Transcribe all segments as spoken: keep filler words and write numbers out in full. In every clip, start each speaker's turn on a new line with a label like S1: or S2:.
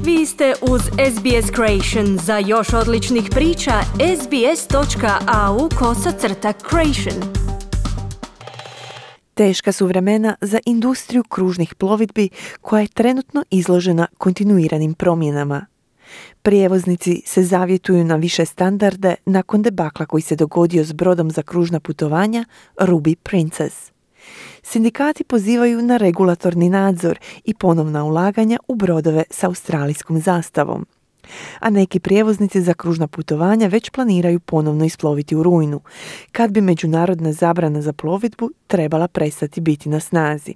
S1: Vi ste uz S B S Creation. Za još odličnih priča, sbs.au kosacrta creation.
S2: Teška su vremena za industriju kružnih plovidbi koja je trenutno izložena kontinuiranim promjenama. Prijevoznici se zavjetuju na više standarde nakon debakla koji se dogodio s brodom za kružna putovanja Ruby Princess. Sindikati pozivaju na regulatorni nadzor i ponovna ulaganja u brodove s australijskom zastavom. A neki prijevoznici za kružna putovanja već planiraju ponovno isploviti u rujnu, kad bi međunarodna zabrana za plovidbu trebala prestati biti na snazi.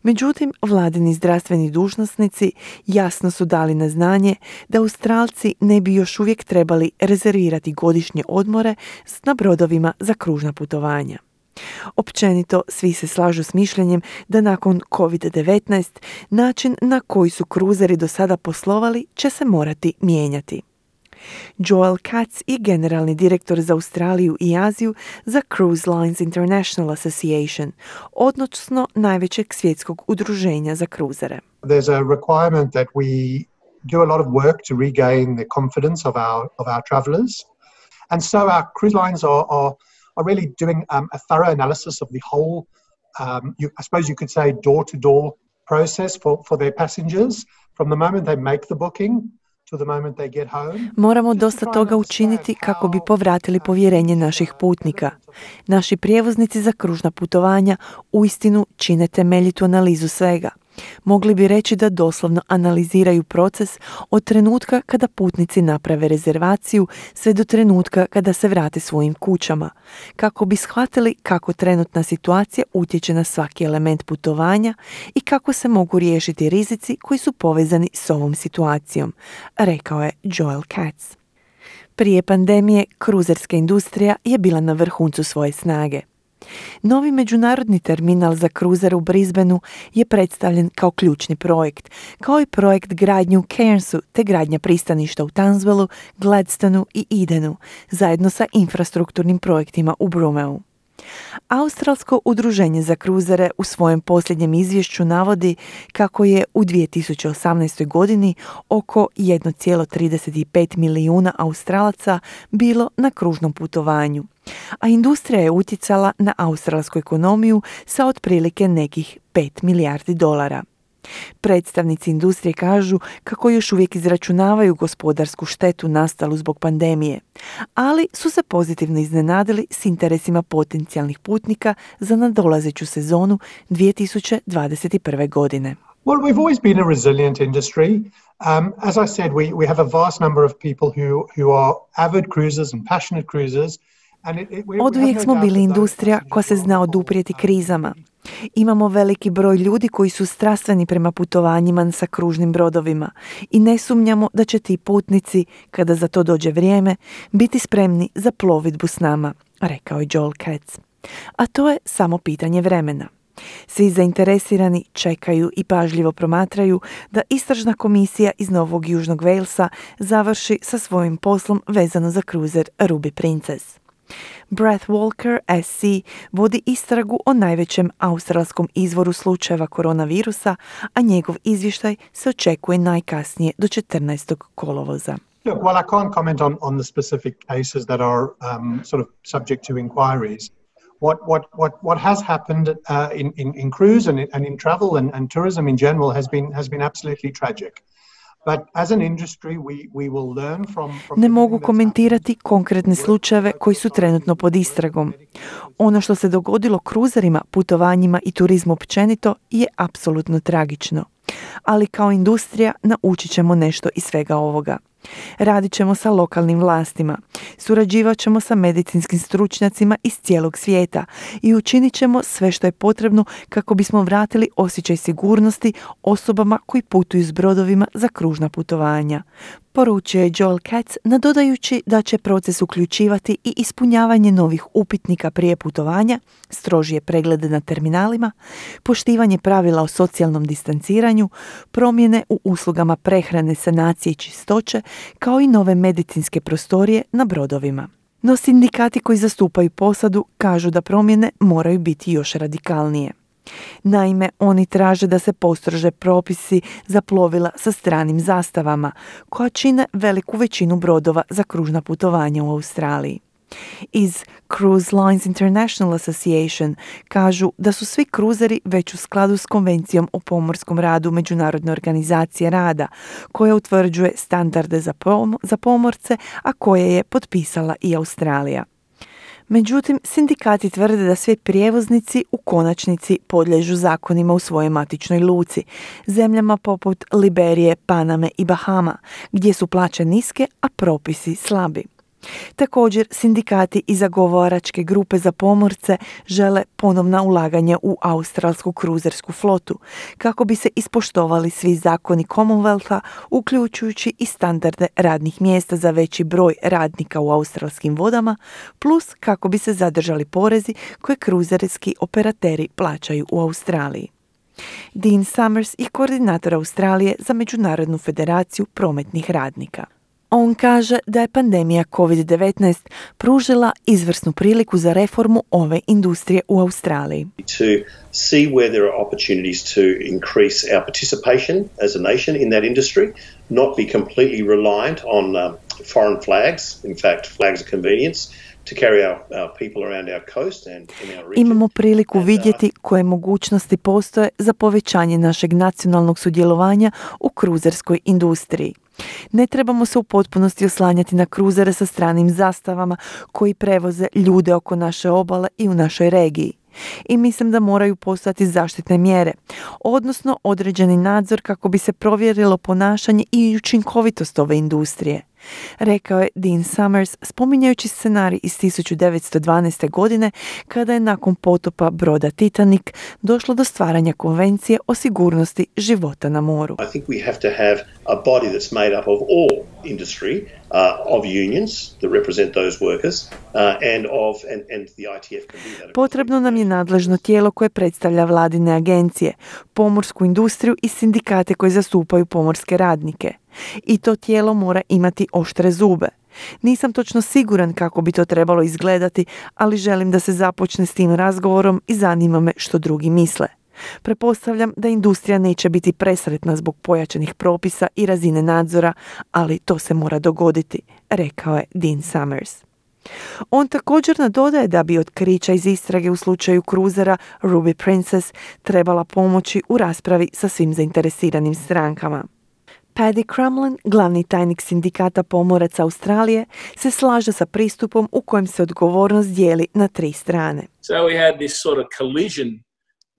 S2: Međutim, vladini zdravstveni dužnosnici jasno su dali na znanje da Australci ne bi još uvijek trebali rezervirati godišnje odmore na brodovima za kružna putovanja. Općenito, svi se slažu s mišljenjem da nakon covid devetnaest način na koji su kruzeri do sada poslovali će se morati mijenjati. Joel Katz je generalni direktor za Australiju i Aziju za Cruise Lines International Association, odnosno najvećeg svjetskog udruženja za kruzere.
S3: There's a requirement that we do a lot of work to regain the confidence of our of our travelers. And so our cruise lines are are are really doing um, a thorough analysis of the whole, um, you, I suppose you could say, door-to-door process for, for their passengers from the moment they make the booking to the moment they get home.
S2: Moramo dosta toga učiniti kako bi povratili povjerenje naših putnika. Naši prijevoznici za kružna putovanja uistinu čine temeljitu analizu svega. Mogli bi reći da doslovno analiziraju proces od trenutka kada putnici naprave rezervaciju sve do trenutka kada se vrate svojim kućama, kako bi shvatili kako trenutna situacija utječe na svaki element putovanja i kako se mogu riješiti rizici koji su povezani s ovom situacijom, rekao je Joel Katz. Prije pandemije, kruzerska industrija je bila na vrhuncu svoje snage. Novi međunarodni terminal za kruzere u Brisbaneu je predstavljen kao ključni projekt, kao i projekt gradnje u Cairnsu te gradnja pristaništa u Townsvilleu, Gladstonu i Edenu, zajedno sa infrastrukturnim projektima u Brumeu. Australsko udruženje za kruzere u svojem posljednjem izvješću navodi kako je u dvije tisuće osamnaestoj. godini oko jedan zarez trideset pet milijuna Australaca bilo na kružnom putovanju, a industrija je utjecala na australsku ekonomiju sa otprilike nekih pet milijardi dolara. Predstavnici industrije kažu kako još uvijek izračunavaju gospodarsku štetu nastalu zbog pandemije, ali su se pozitivno iznenadili s interesima potencijalnih putnika za nadolazeću sezonu dvije tisuće dvadeset prve. godine.
S3: Well, we've always been a resilient industry. Um, as I said, we, we have a vast number of people who, who are avid cruisers and passionate cruisers.
S2: Oduvijek smo bili industrija koja se zna oduprijeti krizama. Imamo veliki broj ljudi koji su strastveni prema putovanjima sa kružnim brodovima i ne sumnjamo da će ti putnici, kada za to dođe vrijeme, biti spremni za plovidbu s nama, rekao je Joel Katz. A to je samo pitanje vremena. Svi zainteresirani čekaju i pažljivo promatraju da istražna komisija iz Novog Južnog Walesa završi sa svojim poslom vezano za kruzer Ruby Princess. Brett Walker, S C, vodi istragu o najvećem australskom izvoru slučajeva koronavirusa, a njegov izvještaj se očekuje najkasnije do četrnaestog kolovoza.
S3: Look, while I can't comment on, on the specific cases that are um, sort of subject to inquiries, what what what what has happened uh, in, in in cruise and in, and in travel and, and tourism in general has been has been absolutely tragic. But as an industry, we, we will learn from, from
S2: ne mogu komentirati konkretne slučajeve koji su trenutno pod istragom. Ono što se dogodilo kruzerima, putovanjima i turizmu općenito je apsolutno tragično. Ali kao industrija naučit ćemo nešto iz svega ovoga. Radit ćemo sa lokalnim vlastima, surađivat ćemo sa medicinskim stručnjacima iz cijelog svijeta i učinit ćemo sve što je potrebno kako bismo vratili osjećaj sigurnosti osobama koji putuju s brodovima za kružna putovanja, poručio je Joel Katz, nadodajući da će proces uključivati i ispunjavanje novih upitnika prije putovanja, strožije preglede na terminalima, poštivanje pravila o socijalnom distanciranju, promjene u uslugama prehrane, sanacije i čistoće, kao i nove medicinske prostorije na brodovima. No sindikati koji zastupaju posadu kažu da promjene moraju biti još radikalnije. Naime, oni traže da se postrože propisi za plovila sa stranim zastavama, koja čine veliku većinu brodova za kružna putovanja u Australiji. Iz Cruise Lines International Association kažu da su svi kruzeri već u skladu s Konvencijom o pomorskom radu Međunarodne organizacije rada, koja utvrđuje standarde za, pom- za pomorce, a koje je potpisala i Australija. Međutim, sindikati tvrde da svi prijevoznici u konačnici podliježu zakonima u svojoj matičnoj luci, zemljama poput Liberije, Paname i Bahama, gdje su plaće niske, a propisi slabi. Također, sindikati i zagovaračke grupe za pomorce žele ponovna ulaganja u australsku kruzersku flotu, kako bi se ispoštovali svi zakoni Commonwealtha, uključujući i standarde radnih mjesta za veći broj radnika u australskim vodama, plus kako bi se zadržali porezi koje kruzerski operateri plaćaju u Australiji. Dean Summers je koordinator Australije za Međunarodnu federaciju prometnih radnika. On kaže da je pandemija covid devetnaest pružila izvrsnu priliku za reformu ove industrije u Australiji.
S4: To see where there are opportunities to increase our participation as a nation in that industry, not be completely reliant on um, foreign flags, in fact flags of convenience, to carry our, our people around our coast and in our region.
S2: Imamo priliku vidjeti koje mogućnosti postoje za povećanje našeg nacionalnog sudjelovanja u kruzerskoj industriji. Ne trebamo se u potpunosti oslanjati na kruzere sa stranim zastavama koji prevoze ljude oko naše obale i u našoj regiji. I mislim da moraju postojati zaštitne mjere, odnosno određeni nadzor kako bi se provjerilo ponašanje i učinkovitost ove industrije, rekao je Dean Summers, spominjajući scenarij iz tisuću devetsto dvanaeste. godine kada je nakon potopa broda Titanic došlo do stvaranja konvencije o sigurnosti života na moru.
S4: I think we have to have a body that's made up of all industry, uh, of unions that represent those workers, uh, and of and, and the I T F can do that.
S2: Potrebno nam je nadležno tijelo koje predstavlja vladine agencije, pomorsku industriju i sindikate koji zastupaju pomorske radnike. I to tijelo mora imati oštre zube. Nisam točno siguran kako bi to trebalo izgledati, ali želim da se započne s tim razgovorom i zanima me što drugi misle. Pretpostavljam da industrija neće biti presretna zbog pojačanih propisa i razine nadzora, ali to se mora dogoditi, rekao je Dean Summers. On također nadodaje da bi otkrića iz istrage u slučaju kruzera Ruby Princess trebala pomoći u raspravi sa svim zainteresiranim strankama. Paddy Crumlin, glavni tajnik sindikata pomoraca Australije, se slaže sa pristupom u kojem se odgovornost dijeli na tri strane.
S5: So we had this sort of collision,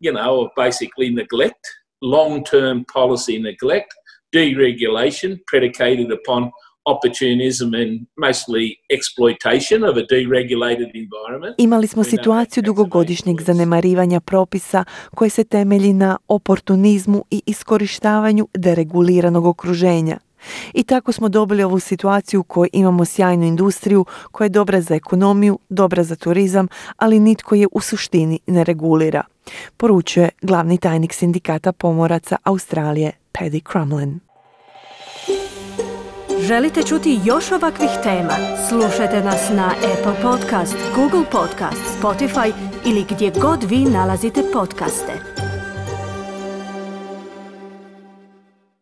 S5: you know, of basically neglect, long-term policy neglect, deregulation predicated upon opportunism and mostly exploitation of a deregulated environment.
S2: Imali smo situaciju dugogodišnjeg zanemarivanja propisa koje se temelji na oportunizmu i iskorištavanju dereguliranog okruženja. I tako smo dobili ovu situaciju u kojoj imamo sjajnu industriju koja je dobra za ekonomiju, dobra za turizam, ali nitko je u suštini ne regulira, poručuje glavni tajnik sindikata pomoraca Australije Paddy Crumlin.
S1: Želite čuti još ovakvih tema? Slušajte nas na Apple Podcast, Google Podcast, Spotify ili gdje god vi nalazite podcaste.